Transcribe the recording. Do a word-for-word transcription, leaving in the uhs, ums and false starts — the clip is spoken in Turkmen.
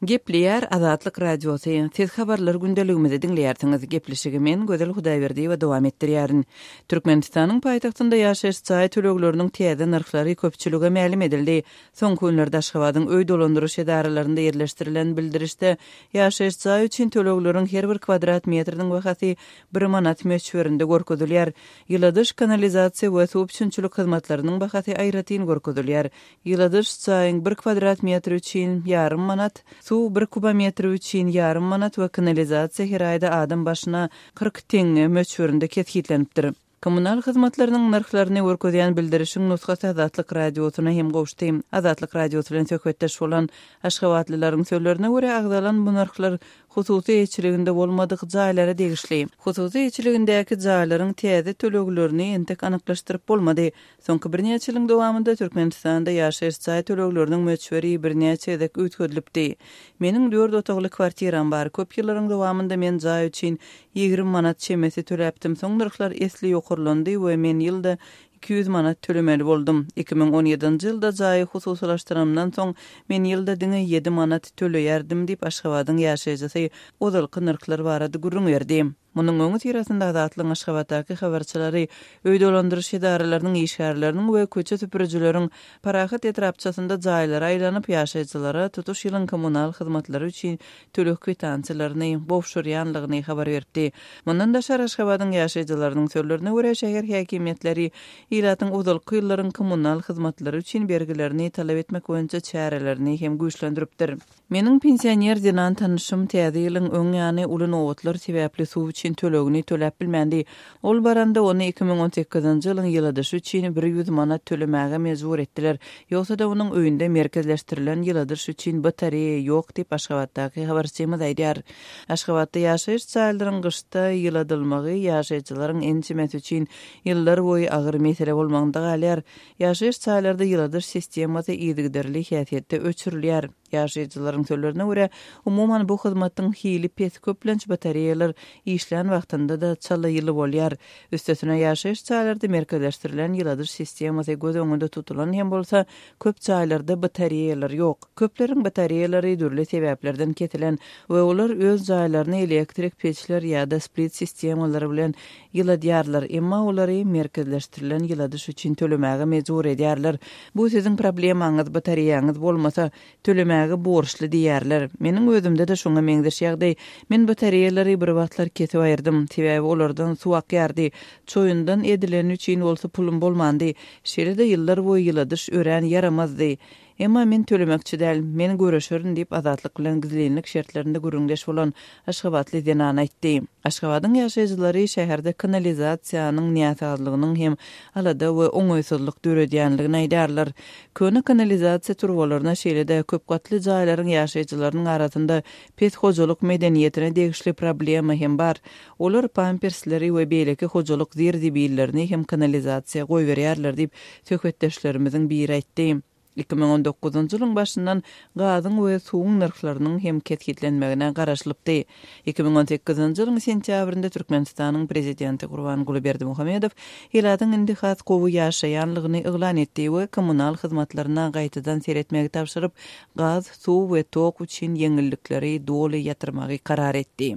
Gepleýär Azatlyk Radiosy. Siz habarlar gündeligimizi diňleýärsiňiz. Gepleşigi men Gözel Hudaýberdiýewa dowam etdirýärin. Türkmenistanyň paýtagtynda ýaşaýyş jaý tölegleriniň täze nyrhlary köpçülige mälim edildi. Soňky günlerde Aşgabadyň öý dolandyryş edaralarynda ýerleşdirilen bildirişde ýaşaýyş jaý üçin tölegleriň her bir kwadrat metriniň bahasy bir manat möçberinde görkezilýär. Ýyladyş, kanalizasiýa we suw üpjünçilik hyzmatlarynyň bahasy aýratyn görkezilýär. Ýyladyş jaýyň bir kwadrat metri üçin ýarym manat, suw bir kubometri üçin ýarym manat we kanalizasiýa her aýda adam başyna kyrk teňňe möçberinde kesgitlenipdir. Kommunal hyzmatlarynyň nyrhlaryny görkezýän bildirişiň nusgasy Azatlyk Radiosyna hem gowuşdy. Azatlyk Radiosy bilen söhbetdeş bolan aşgabatlylaryň sözlerine görä agzalan bu nyrhlar hususy eýeçiliginde bolmadyk jaýlara degişli. Hususy eýeçiligindäki jaýlaryň täze töleglerini entek anyklaşdyryp bolmady. Soňky birnäçe ýylyň dowamynda Türkmenistanda ýaşaýyş jaý tölegleriniň möçberi birnäçe gezek üýtgedilipdi. Meniň dört otagly kwartiram bar. Köp ýyllaryň dowamynda men jaý üçin ýigrimi manat çemesi töläpdim. Soň nyrhlar esli ýokarlandy we men ýylda iki ýüz manat tölemeli boldum. Iki müň on ýedinji ýylda jaýy hususylaşdyranymdan soň men ýylda diňe ýedi manat töleýärdim diýip Aşgabadyň ýaşaýjysy ozalky nyrhlar barada gürrüň berdi. Munuň öňi syrasynda Azatlygyň Aşgabatdaky habarçylary öý dolandyryş edaralarynyň işgärleriniň we köçe süpürijileriň Parahat etrapçasynda jaýlara aýlanyp ýaşaýjylara tutuş ýylyň kommunal hyzmatlary üçin töleg kwitansiýalaryny gowşurýanlygyny habar beripdi. Mundan daşary Aşgabadyň ýaşaýjylarynyň sözlerine görä şäher häkimiýetleri ilatyň ozalky ýyllaryň kommunal hyzmatlary üçin bergilerini talap etmek boýunça çärelerini hem güýçlendiripdir. Meniň pensioner zenan tanyşym täze ýylyň öň ýany uly nobatlar sebäpli suw üçin tölegini töläp bilmändi. Ol baranda ony iki müň on sekizinji ýylyň ýyladyşy üçin bir ýüz manat tölemäge mejbur etdiler. Ýogsa-da onuň öýünde merkezleşdirilen ýyladyş üçin batareýa ýok diýip Aşgabatdaky habarçymyz aýdýar. Aşgabatda ýaşaýyş jaýlaryň gyşda ýyladylmagy ýaşaýjylaryň ençemesi üçin ýyllar boýy agyr mesele bolmagynda galýar. Ýaşaýyş jaýlarda ýyladyş sistemasy yzygiderli häsiýetde öçürilýär. Ýaşaýjylaryň sözlerine görä, umuman bu hyzmatyň hili pes köplenç batareýalar işlän wagtynda da çala ýyly bolýar. Üstesine ýaşaýyş jaýlarda merkezleşdirilen ýyladyş sistemasy göz öňünde tutulan hem bolsa, köp jaýlarda batareýalar ýok. Köpleriň batareýalary dürli sebäplerden kesilen we olar öz jaýlaryny elektrik peçler ýa-da split sistemalary bilen ýyladýarlar, emma olary merkezleşdirilen ýyladyş üçin tölemäge mejbur edýärler. Bu siziň problemaňyz, batareýaňyz bolmasa tölemäge borçly diýärler. Meniň özümde de şoňa meňzeş ýagdaý. Men batareýalary bir wagtlar kesip aýyrdym, sebäbi olardan suw akýardy. Çoýundan edileni üçin bolsa pulum bolmandy. Şeýle-de ýyllar boýy ýyladyş örän ýaramazdy. Emma men tölemekçi däl, men görüşerin diýip Azatlyk bilen gizlinlik şertlerinde gürrüňdeş bolan Aşgabatly zenan aýtdy. Aşgabadyň ýaşaýjylary şäherde kanalizasiýanyň näsazlygynyň hem alada we oňaýsyzlyk döredýänligini aýdarlar. Köne kanalizasiýa turbalaryna şeýle-de köp gatly jaýlaryň ýaşaýjylarynyň arasynda pes hojalyk medeniýetine degişli problema hem bar. Olar pampersleri we beýleki hojalyk zir-zibillerini hem kanalizasiýa goýberýärler diýip söhbetdeşlerimiziň biri aýtdy. Iki müň on dokuzynjy ýylyň başyndan gazyň we suwuň nyrhlarynyň hem kesgitlenmegine garaşylypdy. Iki müň on sekizinji ýylyň sentýabrynda Türkmenistanyň prezidenti Gurbanguly Berdimuhamedow ilatyň indi has gowy ýaşaýanlygyny yglan etdi we kommunal hyzmatlaryna gaýtadan seretmegi tabşyryp, gaz, suw we tok üçin ýeňillikleri doly ýatyrmagy karar etdi.